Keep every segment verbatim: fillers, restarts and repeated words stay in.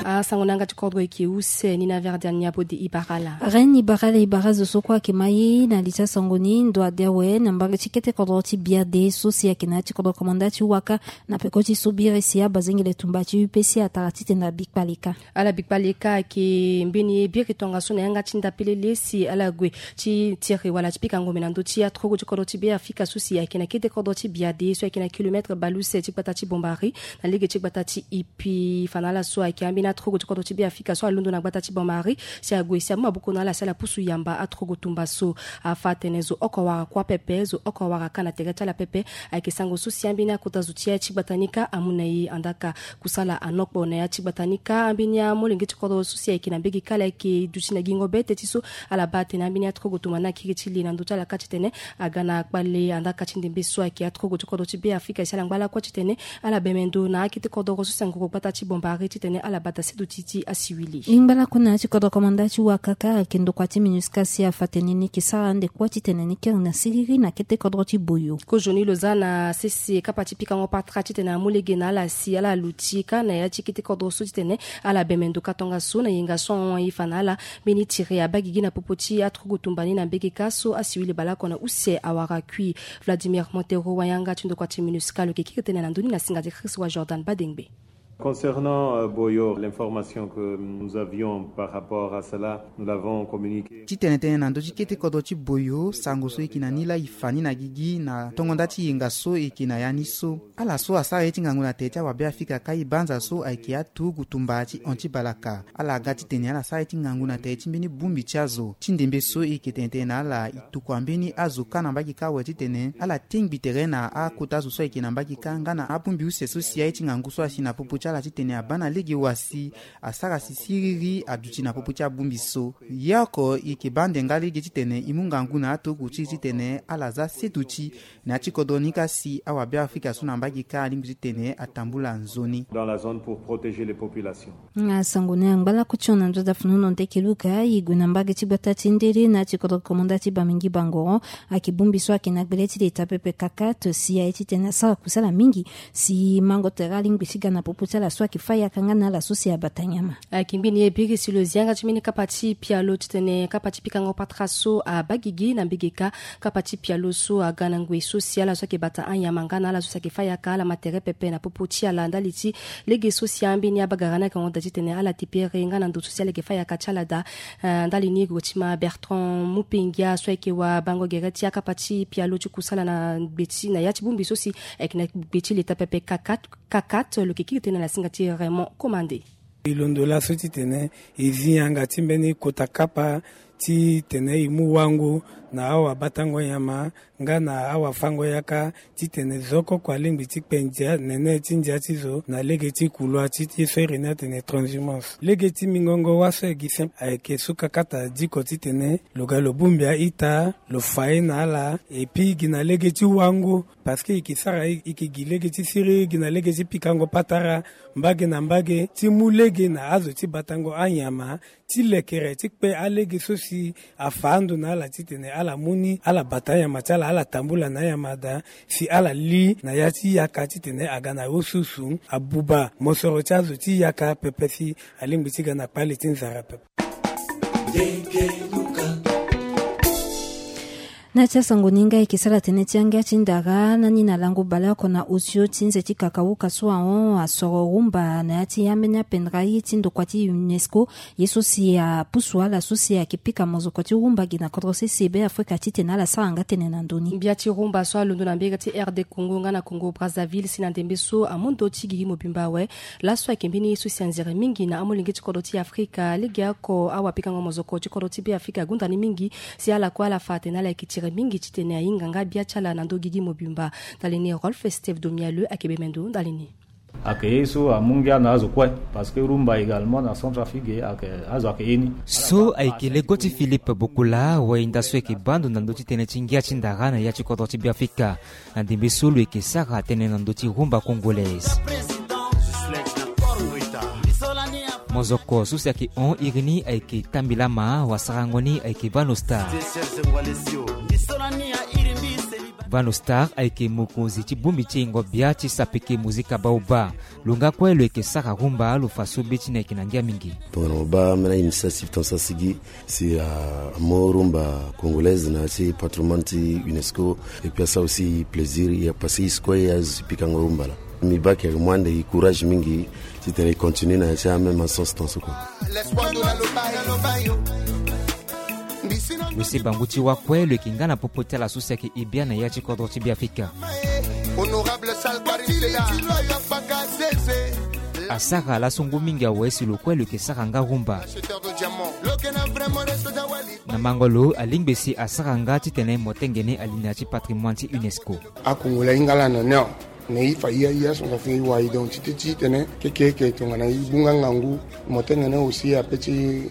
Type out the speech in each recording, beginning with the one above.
Asango na yanga ti kodro eke use ni na Verdian Niabo de Ibarala. Ren Ibarala, Ibara zo so kue ayeke ma ye na li ti asango ni ndo ade awe na mbage ti kete kodro ti Biade so si ayeke na ya ti kodro komanda ti Waka na peko ti so biri si abazengele tumba ti U P C atara titene abikpale kâ. Ala bikpale kâ ayeke mbeni ye biri tongaso na yanga ti ndapelele si ala gue ti tiri wala ti pika ngombe na ndö ti atrogo ti kodro ti Beafrika so si ayeke na kete kodro ti Biade so ayeke na kilometre bale use ti gbata ti Bombari na lege ti gbata ti Ipi. Fa na ala so ayeke ambeni atrogo ti kodro ti Beafrika so alondo na gbata ti Bombari si ague si amu maboko na ala si ala pusu yamba atrogo tumba so. Afa atene zo oko wara kuâ pepe, zo oko wara kâ na tere ti ala pepe. Ayeke sango so si ambeni akota zo ti ya ti gbata ni kâ amu na e. Andaa ka kusala anokpo na ya ti gbata ni kâ, ambeni amolenge ti kodro so si ayeke na mbege kâ ala yeke duti na gingo bete ti so ala baa atene ambeni atrogo tumba ni akiri ti le na ndö ti ala kâ titene aga na kpale. Andaa ka ti ndembe so ayeke atrogo ti kodro ti Beafrika si ala ngba lakue titene ala bembe ndo na akete kodoro so si angoro gbata ti Bombari titene ala bata seduti ti asiwili. Ngba lakue na ya ti kodro komanda ti Waka kâ ayeke ndokua ti MINUSCA si afa atene ni yeke sara ande kue titene ni kiri na siriri na kete kodro ti Boyo. Kozoni lo za na sese kapa ti pikango patara titene amu lege na ala si ala luti kâ na ya ti kete kodro so titene ala bembe ndo kâ tongaso na yenga so ahon aye fa na ala. Mbeni tiri abaa gigi na popo ti atrogo tumba ni na mbege kâ so asiwili baleoko na use awara kui. Vladimir Montero, wayanga ti ndokua ti MINUSCA, lo yeke kiri tënë na ndö ni na singa ti Chris wa Jordan Badengbe. Concernant, euh, Boyo, l'information que nous avions par rapport à cela, nous l'avons communiqué. Titene tënë na ndö ti kete kodro ti Boyo, sango so e yeke na ni laa e fa ni na gigi na tongo nda ti yenga so e yeke na ya ni so. Ala so asara ye ti ngangu na tere ti awabeafrika kâ e banza so ayeke aturugu tumba ti hon ti balaka. Ala ga titene ala sara ye ti ngangu na tere ti mbeni bongbi ti azo. Ti ndembe so e yeke tene tënë na ala, e tokua mbeni azo kâ na mbage kâ awe titene ala tingbi tere na akota zo so ayeke na mbage kâ nga na abongbi use so si aye ti ngangu so asi na popo ti ala titene abaa na lege wa si asara si siriri aduti na popo ti abongbi so. Ye oko e yeke baa ande nga lege titene e mu ngangu na aturugu ti e titene ala za seduti na ya ti kodro ni kâ si awabeafrika so na mbage kâ alingbi titene atambula nzoni. Dans la zone pour protéger les populations. Asango ni angba lakue ti hon na nduza funu na ndeke luka e gue na mbage ti gbata ti ndele na ya ti kodro komanda ti Bamingi Bangoro. Ayeke bongbi so ayeke na gbele ti leta pepe kakat si aye titene asara kusala mingi si mango tere alingbi ti ga na popo ti ala so ayeke fâ yaka nga na ala so si abata nyama. Ayeke mbeni ye biri si lo zi yanga ti mbeni kapa ti pialo titene kapa ti pikango patara so abaa gigi na mbege kâ. Kapa ti pialo so aga na ngoi so si ala so ayeke bata anyama nga na ala so si ayeke fâ yaka ala ma tere pepe na popo ti ala ndali ti lege so si ambeni abagara ni ayeke hon daa titene ala tepere nga na ndo so si ala yeke fâ yaka ti ala daa. Eh, ndali ni e gue ti ma Bertrand Mupengia so ayeke wabango gere ti akapa ti pialo ti kusala na gbe ti na ya ti bongbi so si ayeke na gbe ti leta pepe kakat. Kakat lo yeke kiri tënë na singa ti Raymond Commandé. E londo laso titene e zi yanga ti mbeni kota kapa titene e mu wango na awabatango nyama nga na awafango yaka titene zo oko oko alingbi ti kpe ndia nene ti ndia ti zo na lege ti kulua ti ye so iri ni atene transhumance. Lege ti mingongo wâ so e gi sempre ayeke so kakata diko titene lo ga lo bongbi a-ita, lo fa ye na ala, et puis gi na lege ti wango. Parce que e yeke sara e yeke gi lege ti siriri gi na lege ti pikango patara mbage na mbage ti mu lege na azo ti batango anyama ti lekere ti kpe alege so si afa ando na ala titene ala mu ni ala bata anyama ti ala, ala tambula na anyama daa si ala li na ya ti yaka titene aga na osusu abuba mosoro ti azo ti yaka pepe si alingbi ti ga na kpale ti nzara pepe. Na ya ti asango ni nga e yeke sara tënë ti angia ti ndara na ni na lango baleoko na osio ti nze ti kakauka so ahon asoro rumba na ya ti ambeni apendra ye ti ndokua ti UNESCO. Ye so si apusu ala so si ayeke pika mozoko ti rumba gi na kodro sese Beafrika titene ala sara nga tënë na ndö ni. Mbia ti rumba so alondo na mbege ti R D Congo nga na Congo Brazzaville si na ndembe so amu ndö ti gigi mobimba awe. Laso ayeke mbeni ye so si anzere mingi na amolenge ti kodro ti Afrika. Legeoko awapikango mozoko ti kodro ti Beafrika ague ndani mingi si ala kue ala fa atene ala yeke tiri mingi titene ahinga nga bia ti ala na ndö gigi mobimba. Ndali ni Rolf Steve Domialeux ayeke bembe ndo ndali ni. Ayeke ye so amu ngia na azo kue parce que rumba également na Centrafrique ayeke azo ayeke ye ni. So ayeke lego ti Philippe Bokula, wahinda so ayeke baa ndo na ndö ti tënë ti ngia ti ndara na ya ti kodro ti Beafrika. Na ndembe so lo yeke sara tënë na ndö ti rumba congolaise. Mozoko so si ayeke hon iri ni ayeke Tambilama, wasarango ni ayeke Vanosta. Bano Star ayeke mokonzi ti bongbi ti ingo bia ti sapeke mozika baobab. Lo nga kue lo yeke sara rumba, lo fa so be ti ni ayeke na ngia mingi. Tongana mo baa ambeni initiative ton sasigi si amu rumba congolaise na ya ti patrimoine ti UNESCO. Et puis asara aussi plaisir ya parce que e si kue e azo si pikango rumba laa. Mbi baa ayeke mu ande e courage mingi titene e continue na ya ti ameme sens ton so kue. Lo si bangu ti wa kue lo yeke nga na popo ti ala so si ayeke e bia na ya ti kodro ti Beafrika. Asara laso ngu mingi awe si lo kue lo yeke sara nga rumba. Na mango lo alingbi si asara nga titene motenge ni alinéa ti patrimoine ti UNESCO. Akongolo ahinga laa na ni awe. Na e fa e aye aso nga fini e wara e donc ti te ti tene keke eke tongana e bu nga ngangu motenge ni aussi ape ti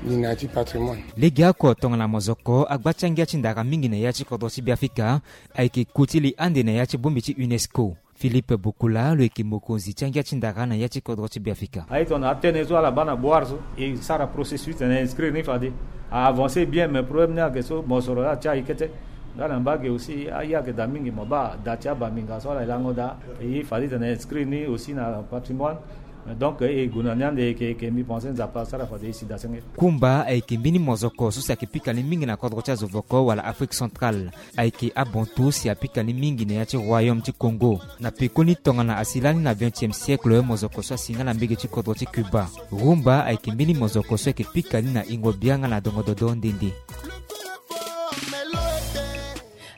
linéa ti patrimoine. Legeoko tongana mozoko agba ti angia ti ndara mingi na ya ti kodro ti Beafrika ayeke ku ti li ande na ya ti bongbi ti UNESCO. Philippe Bokula lo yeke mokonzi ti angia ti ndara na ya ti kodro ti Beafrika. Aye tongana atene so ala baa na boire so e sara processus titene inscrire ni fade a avancer bien, mais problème ni ayeke so mosoro laa ti aye kete. Nga na mbage aussi aye ayeke daa mingi, mo baa daa ti abangbinga so ala lango daa. E fade titene inscrire ni aussi na patrimoine. Donc e gue na ni ande, eke eke mbi pense Nzapa asara fade e si daa senge. Kumba ayeke mbeni mozoko so si ayeke pika ni mingi na kodro ti azo voko wala Afrique centrale. Ayeke abontu si apika ni mingi na ya ti royaume ti Congo. Na pekoni tongana asi lani na vingtième siècle mozoko so asi nga na mbege ti kodro ti Cuba. Rumba ayeke mbeni mozoko so ayeke pika ni na ingo bia nga na dongo dodo nde nde.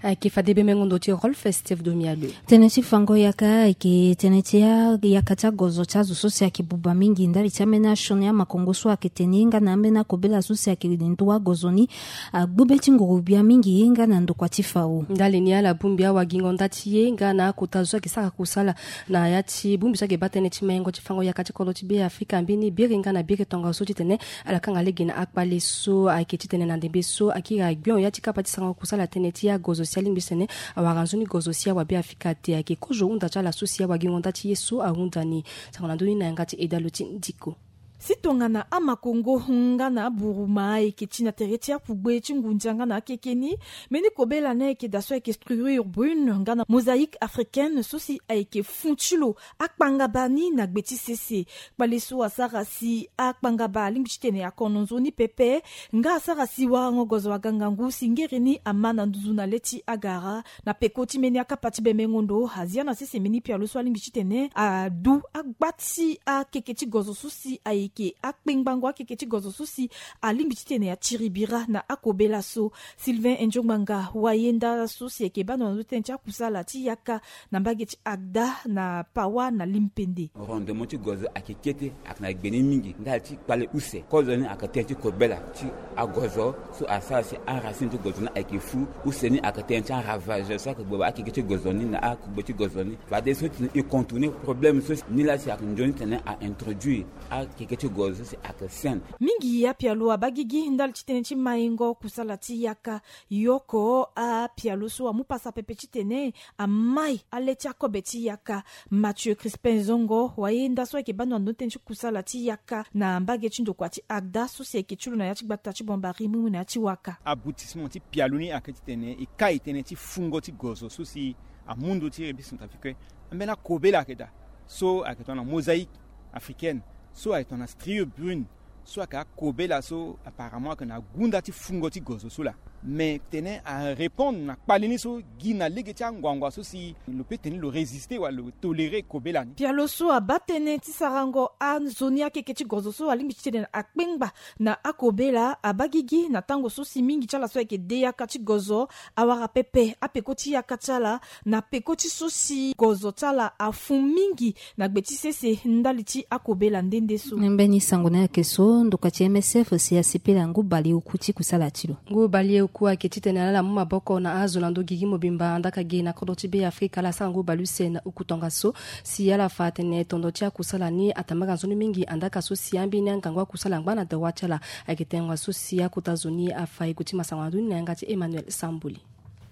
Ayeke fade be mengo ndo ti Rolf Steve Domialo. Tënë ti fango yaka ayeke tënë ti a- yaka ti agozo ti azo so si ayeke buba mingi ndali ti ambeni asioni amakongo so ayeke tene nga na ambeni akobela so si ayeke ndu agozo ni. Agbu be ti nguru bia mingi nga na ndokua ti fao. Ndali ni ala bongbi awagingo nda ti ye nga na akota zo so ayeke sara kusala na ya ti bongbi so ayeke baa tënë ti maingo ti fango yaka ti kodro ti Beafrika mbeni biri nga na biri tongaso titene ala kanga lege na akpale so ayeke titene na ndembe so akiri agbion ya ti kapa ti sarango kusala tënë ti agozo si alingbi titene awara nzoni gozo si awabeafrika te. Ayeke kozo hunda ti ala so si awagingo nda ti ye so ahunda ni. Sango na ndö ni na yanga ti edalo ti ndiko. Si tongana amakongo nga na aburuma ayeke ti na tere ti akugbe ti ngunza nga na akeke ni, mbeni kobela ni ayeke daa so ayeke Striure Brune nga na Mosaïque africaine so si ayeke fun ti lo akpangaba ni na gbe ti sese. Kpale so asara si akpangaba alingbi titene akono nzoni pepe nga asara si warango gozo aga ngangu si ngere ni ama na nduzu na le ti agara. Na peko ti mbeni akapa ti bemengo ndo, azia na sese mbeni pialo so alingbi titene adu agba ti akeke ti gozo so si ayeke akpengbango akeke ti gozo so si alingbi titene atiri bira na akobela so. Sylvain Endiongbanga, wayenda so si ayeke baa ndo na ndo tënë ti akusala ti yaka na mbage ti Agda na Pawa na Limpende. Rendement ti gozo ayeke kete, ayeke na gbe ni mingi ndali ti kpale use. Kozo ni ayeke tënë ti kobela ti agozo so asara si aracine ti gozo ni ayeke fu. Use ni ayeke tënë ti aravage so ayeke gboba akeke ti gozo ni na akugbe ti gozo ni. Fadeso titene e contourner problème so si ni laa si ayeke nzoni titene a introduire akeke ti gozo so si ayeke saine. Mingi apialo abaa gigi ndali ti tënë ti maingo kusala ti yaka. Yoko apialo so amu pasa pepe titene amai ale ti akobe ti yaka. Mathieu Crispin Zongo, wayenda so ayeke baa ndo na ndo tënë ti kusala ti yaka na mbage ti ndokua ti Agda so si ayeke ti lo na ya ti gbata ti Bombari mu mu na ya ti waka. Aboutissement ti pialo ni ayeke titene e kai tënë ti fungo ti gozo so si amu ndo ti République Centrafricaine. Ambeni akobela ayeke daa so ayeke tongana Mosaïque africaine, so ayeke tongana Striure Brune, so ayeke akobela so apparemment ayeke na gunda ti fungo ti gozo so laa. Mais tene arépondre na kpale ni so gi na lege ti anguangu so si lo peut tene lo résister wala lo tolérer kobela ni. Pialo so abaa tënë ti sarango anzoni akeke ti gozo so alingbi titene akpengba na akobela abaa gigi na tango so si mingi ti ala so ayeke de yaka ti gozo awara pepe apeko ti yaka ti ala na peko ti so si gozo ti ala afu mingi na gbe ti sese ndali ti akobela nde nde so. Mbeni sango ni ayeke so ndokua ti M S F si asepela ngu baleoku ti kusala ti lo. Ngu baleoku ayeke titene ala ala mu maboko na azo na ndo gigi mobimba andaka ge na kodro ti Beafrika ala sara ngu baleuse na uku tongaso si ala fa atene tondo ti akusala ni atambaka nzoni mingi andaka so si ambeni angangu akusala angba na dawa ti ala. Ayeke tengo so si akota zo ni afa e kuti masango na ndo ni na yanga ti Emmanuel Sambuli.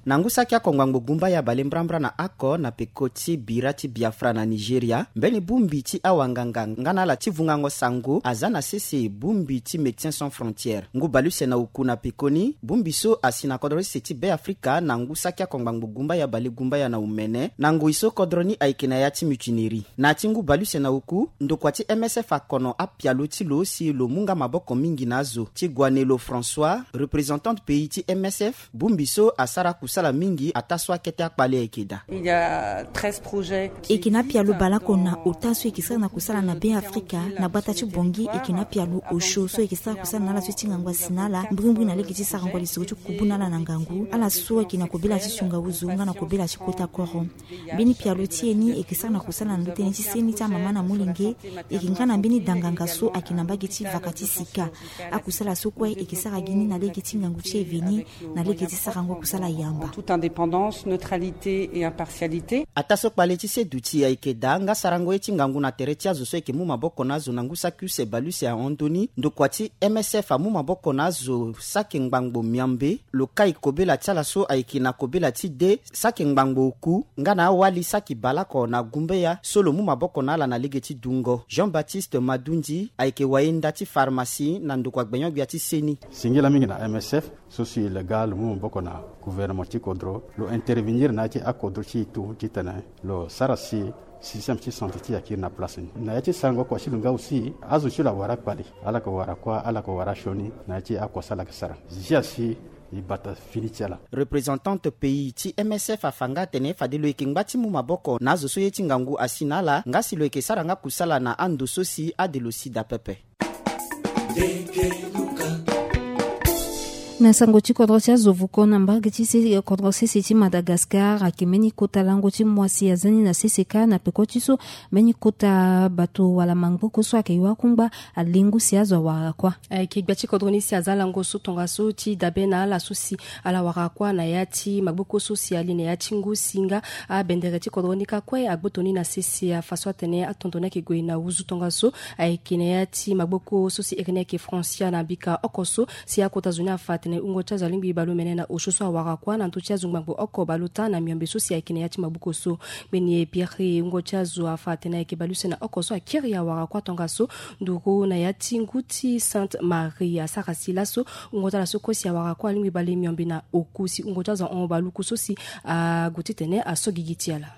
Na ngu saki oko ngbangbo gumba ya balebrambra na oko na peko ti bira ti Biafra na Nigeria, mbeni bongbi ti awanganga nga na ala ti vungango sango aza na sese bongbi ti Médecins Sans Frontières. Ngu baleuse na oku na pekoni, bongbi so asi na kodro sese ti Beafrika na ngu saki oko ngbangbo gumba ya balegumbaya na omene, na ngoi so kodro ni ayeke na ya ti mutinerie. Na ya ti ngu baleuse na oku, ndokua ti M S F akono apialo ti lo si lo mu nga maboko mingi na azo. Ti Guanelo François, représentante pays ti M S F, bongbi so asara kusala mingi ataa so akete akpale ayeke daa. Il y a treize projets. E yeke na apialo baleoko na ota so e yeke sara na kusala na Beafrika na gbata ti Bangui, e yeke na apialo osio so e yeke sara kusala na ala so ti ngangu asi na ala mbirimbiri na lege ti sarango lisoro ti kubu na ala na ngangu, ala so ayeke na kobela ti sunga ozo nga na kobela ti kota koro. Mbeni pialo ti e ni e yeke sara na kusala na ndö tënë ti seni ti amama na molenge, e yeke nga na mbeni danganga so ayeke na mbage ti vaka ti sika. Akusala so kue e yeke sara gi ni na lege ti ngangu ti e veni, na lege ti sarango kusala yamba. En toute indépendance, neutralité et impartialité. Ataa so kpale ti se duti ayeke daa nga sarango ye ti ngangu na tere ti azo so ayeke mu maboko na azo na ngu saki use baleuse ahon ndoni, ndokua ti M S F amu maboko na azo saki ngbangbo miombe, lo kai kobela ti ala so ayeke na kobela ti de saki ngbangbo oku, nga na awali saki baleoko na gumbeya so lo mu maboko na ala na lege ti dungo. Jean-Baptiste Madundi ayeke wayenda ti pharmacie na ndokua gbenyo-gbia ti seni. Singila mingi na M S F so si lo ga lo mu maboko na gouvernement ti kodro, lo intervenir na ya ti akodro ti e tout titene lo sara si système ti santé ti e akiri na place ni. Na ya ti sarango oko si lo nga aussi, azo ti lo awara kpale, ala yeke wara kuâ, ala yeke wara sioni na ya ti oko so ala yeke sara. Zia si e bata fini ti ala. Représentante pays ti M S F afa nga atene fade lo yeke ngba ti mu maboko na azo so ye ti ngangu asi na ala, nga si lo yeke sara nga kusala na ando so si ade lo sida pepe. Na sango ti kodro ti azo vuko na mbage ti se-, kodro sese ti Madagascar ayeke mbeni kota lango ti moisi aza ni na sese kâ na peko ti so mbeni kota bato wala maboko so ayeke yo akungba alengu si azo awara kuâ. Ayeke gbia ti kodro ni si aza lango so tongaso ti dabe na ala so si ala wara kuâ na ya ti maboko so si ali na ya ti ngu si nga abendere ti kodro ni kâ kue agboto ni na sese afa so atene atondo ni ayeke gue na wuzu tongaso. Ayeke na ya ti maboko so si iri ni ayeke Francia na mbika oko so si akota zo ni afa atene wungo ti azo alingbi baleomene na osio so awara kuâ na ndö ti azo ngbangbo oko baleota na miombe so si ayeke na ya ti maboko so. Mbeni e biri wungo ti azo afa atene ayeke baleuse na oko so akiri awara kuâ tongaso nduru na ya ti ngu ti Sainte Marie asara si laso wungo ti ala so kue si awara kuâ alingbi bale miombe na oku si wungo ti azo ahon baluku so si ague titene aso gigi ti ala.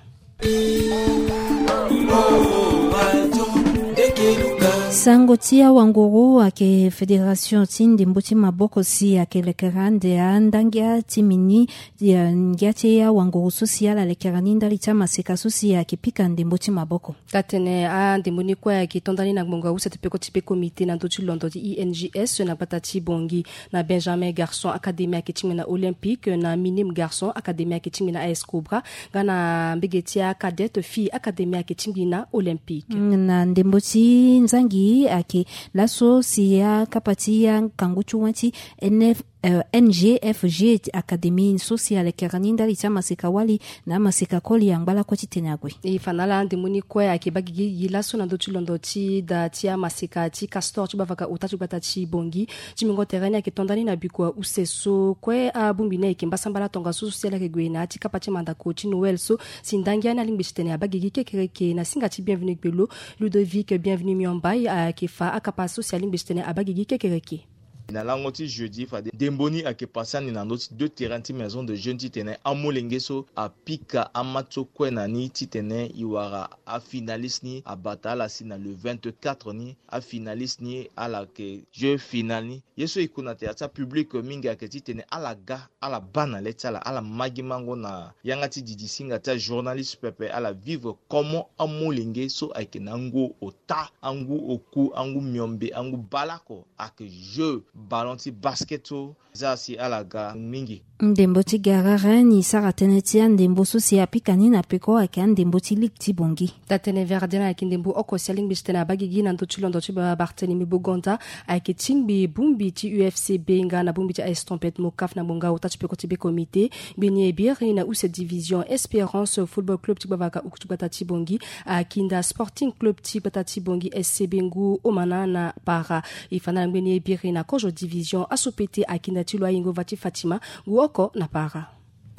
Sango ti awanguru ayeke fédération ti ndembo ti maboko si ayeke lekere ande andangia ti mini, eh, ngia ti awanguru so si ala lekere ni ndali ti amaseka so si ayeke pika ndembo ti maboko. Taa-tënë, andembo ni kue ayeke to ndani na ngbonga use ti peko ti be comité na ndö ti londo ti I N G S na gbata ti Bangui. Na Benjamin Garçon Académie ayeke tingbi na Olympique, na Minime Garçon Académie ayeke tingbi na A S Cobra, nga na mbege ti aCadet Fille Académie ayeke tingbi na Olympique. Mm, na ndembo ti nzangi ayeke laso si akapa ti akangu ti wâ ti N F, euh, N G F G Académie so si alekere ni ndali ti amaseka wali na amaseka koli angba lakue ti tene ague. E fa na ala andembo ni kue ayeke baa gigi laso na ndö ti londo ti da ti amaseka ti Castor ti gbavaka ota ti gbata ti Bangui. Ti mingo tere ni ayeke to ndani na bikua use so kue abongbi ni ayeke mbasambala tongaso so si ala yeke gue na ya ti kapa ti mandako ti Noël so si ndangia ni alingbi titene abaa gigi kekereke na singa ti Bienvenu Gbelo. Ludovic Bienvenu Miombai ayeke fa akapa so si alingbi titene abaa gigi kekereke. Na lango ti jeudi fade ndembo ni ayeke pase ani na ndö ti deux terrains ti maison de jeunes titene amolenge so apika amatch so kue na ni titene e wara afinaliste ni abata ala si na le vingt-quatre ni. Afinaliste ni ala yeke jeu final ni. Ye so e ku na tere ti apublic mingi ayeke titene ala ga, ala baa na le ti ala, ala ma gi mango na yanga ti didi singa ti ajournaliste pepe, ala vivre comment amolenge so ayeke na angu ota, angu oku, angu miombe, angu baleoko ayeke jeu ballon ti basket so. Za si ala ga mingi. Ndembo ti garere ni sara tënë ti andembo so si apika ni na peko ayeke andembo ti ligue ti Bangui. Taa-tënë Verdien ayeke ndembo oko si alingbi titene abaa gigi na ndö ti londo ti Ba-, Barthélemy Bogonda. Ayeke tingbi bongbi ti U F C B nga na bongbi ti A S Trompette Mocaf na ngbonga ota ti peko ti be comité. Mbeni e biri na use division Espérance Football Club ti gbavaka oku ti gbata ti Bangui akinda Sporting Club ti gbata ti Bangui S C B ngu omana na para. E fa na ala ngbeni e biri na kozo division aso pete akinda ti lo ayingo va ti Fatima ngu oko na para.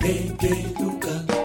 Bebe Luka.